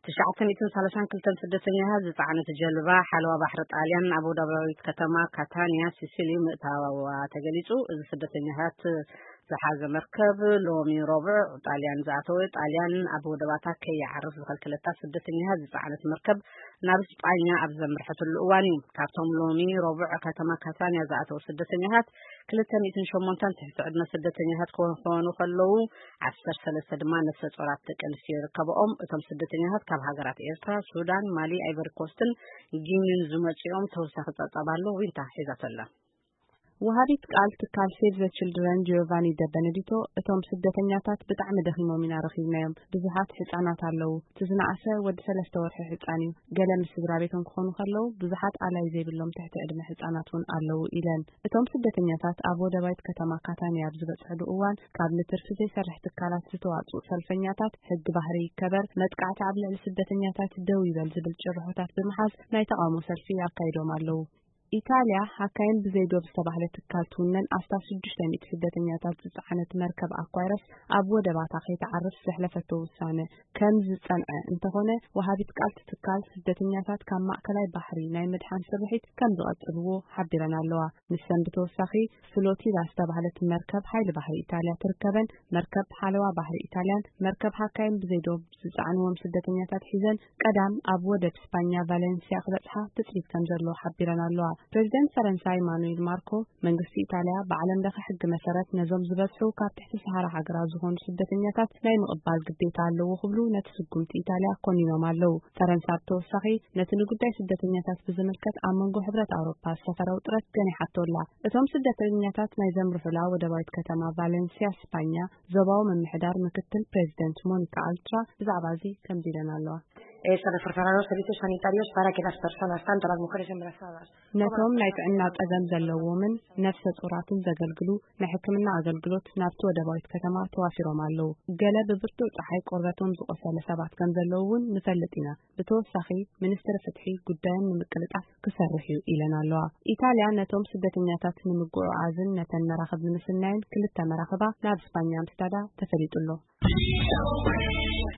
ትሽዓተ ሚእትን ሰላሳን ክልተን ስደተኛታት ዝጸዓነት ጀልባ ሓለዋ ባሕሪ ጣልያን ኣብ ወደባዊት ከተማ ካታንያ ሲሲሊ ምእታዋ ተገሊጹ። እዚ ስደተኛታት ዝሓዘ መርከብ ሎሚ ረቡዕ ጣልያን ዝኣተወ። ጣልያን ኣብ ወደባታ ከይዓርፍ ዝኸልከለታ ስደተኛታት ዝጸዓነት መርከብ ናብ ስጳኛ ኣብ ዘምርሐትሉ እዋን እዩ። ካብቶም ሎሚ ረቡዕ ከተማ ካታንያ ዝኣተዉ ስደተኛታት ክልተ ሚእትን ሸሞንተን ትሕቲ ዕድመ ስደተኛታት ክኾኑ ከለዉ፣ ዓሰርተ ሰለስተ ድማ ነፍሰ ጾራት ደቂ ኣንስትዮ ይርከብኦም። እቶም ስደተኛታት ካብ ሃገራት ኤርትራ፣ ሱዳን፣ ማሊ፣ ኣይቨሪ ኮስትን ጊኒን ዝመጽኦም። ተወሳኺ ጸብጻብ ኣሎ፣ ዊንታ ሒዛቶ ኣላ። ወሃቢት ቃል ትካል ሴቭ ዘ ችልድረን ጂዮቫኒ ደ በነዲቶ፣ እቶም ስደተኛታት ብጣዕሚ ደኺሞም ኢና ረኺብናዮም። ብዙሓት ህጻናት ኣለዉ። እቲ ዝነኣሰ ወዲ ሰለስተ ወርሒ ህጻን እዩ። ገለ ምስ ስድራ ቤቶም ክኾኑ ከለዉ፣ ብዙሓት ኣላይ ዘይብሎም ትሕቲ ዕድመ ህጻናት እውን ኣለዉ ኢለን። እቶም ስደተኛታት ኣብ ወደባዊት ከተማ ካታንያ ኣብ ዝበጽሕሉ እዋን፣ ካብ ንትርፊ ዘይሰርሕ ትካላት ዝተዋጽኡ ሰልፈኛታት፣ ሕጊ ባህሪ ይከበር፣ መጥቃዕቲ ኣብ ልዕሊ ስደተኛታት ደው ይበል ዝብል ጭርሖታት ብምሓዝ ናይ ተቓውሞ ሰልፊ ኣካይዶም ኣለዉ። ኢጣልያ፣ ሃካይን ብዘይ ዶብ ዝተባህለ ትካል ትውነን ኣስታት ሽዱሽተ ሚእቲ ስደተኛታት ዝጸዓነት መርከብ ኣኳይረስ ኣብ ወደባታ ከይትዓርፍ ዘሕለፈቶ ውሳነ ከም ዝጸንዐ እንተኾነ፣ ወሃቢት ቃል እቲ ትካል ስደተኛታት ካብ ማእከላይ ባሕሪ ናይ ምድሓን ስርሒት ከም ዝቐጽልዎ ሓቢረን ኣለዋ። ንሰን ብተወሳኺ ፍሎቲላ ዝተባህለት መርከብ ሓይሊ ባሕሪ ኢጣልያ ትርከበን። መርከብ ሓለዋ ባሕሪ ኢጣልያን መርከብ ሃካይን ብዘይ ዶብ ዝጸዓንዎም ስደተኛታት ሒዘን ቀዳም ኣብ ወደብ ስጳኛ ቫለንሲያ ክበጽሓ ትጽቢት ከም ዘሎ ሓቢረን ኣለዋ። ፕሬዚደንት ፈረንሳ ኢማኑኤል ማርኮ፣ መንግስቲ ኢጣልያ ብዓለም ለኸ ሕጊ መሰረት ነዞም ዝበዝሑ ካብ ትሕቲ ሰሃራ ሃገራት ዝኾኑ ስደተኛታት ናይ ምቕባል ግዴታ ኣለዎ ክብሉ ነቲ ስጉምቲ ኢጣልያ ኮኒኖም ኣለዉ። ፈረንሳ ብተወሳኺ ነቲ ንጉዳይ ስደተኛታት ብዝምልከት ኣብ መንጎ ሕብረት ኣውሮፓ ዝሰፈረ ውጥረት ገኒሓቶ ኣላ። እቶም ስደተኛታት ናይ ዘምርሑላ ወደባዊት ከተማ ቫለንሲያ ስጳኛ ዞባዊ ምምሕዳር ምክትል ፕሬዚደንት ሞኒካ ኣልትራ ብዛዕባ እዚ ከምዚ ኢለን ኣለዋ። Eh, se reforzarán los servicios sanitarios para que las personas, tanto las mujeres embarazadas, ነቶም ናይ ጥዕና ጸገም ዘለዎምን ነፍሰ ጾራትን ዘገልግሉ ናይ ሕክምና ኣገልግሎት ናብቲ ወደባዊት ከተማ ተዋፊሮም ኣለዉ። ገለ ብብርቱዕ ጸሓይ ቆርበቶም ዝቆሰለ ሰባት ከም ዘለዉ እውን ንፈልጥ ኢና። ብተወሳኺ፣ ሚኒስትሪ ፍትሒ ጉዳዮም ንምቅልጣፍ ክሰርሕ እዩ ኢለን ኣለዋ። ኢጣልያ ነቶም ስደተኛታት ንምጉዕዓዝን ነተን መራኽብ ንምስናይን ክልተ መራኽባ ናብ ስፓኛ ምስዳዳ ተፈሊጡ ኣሎ።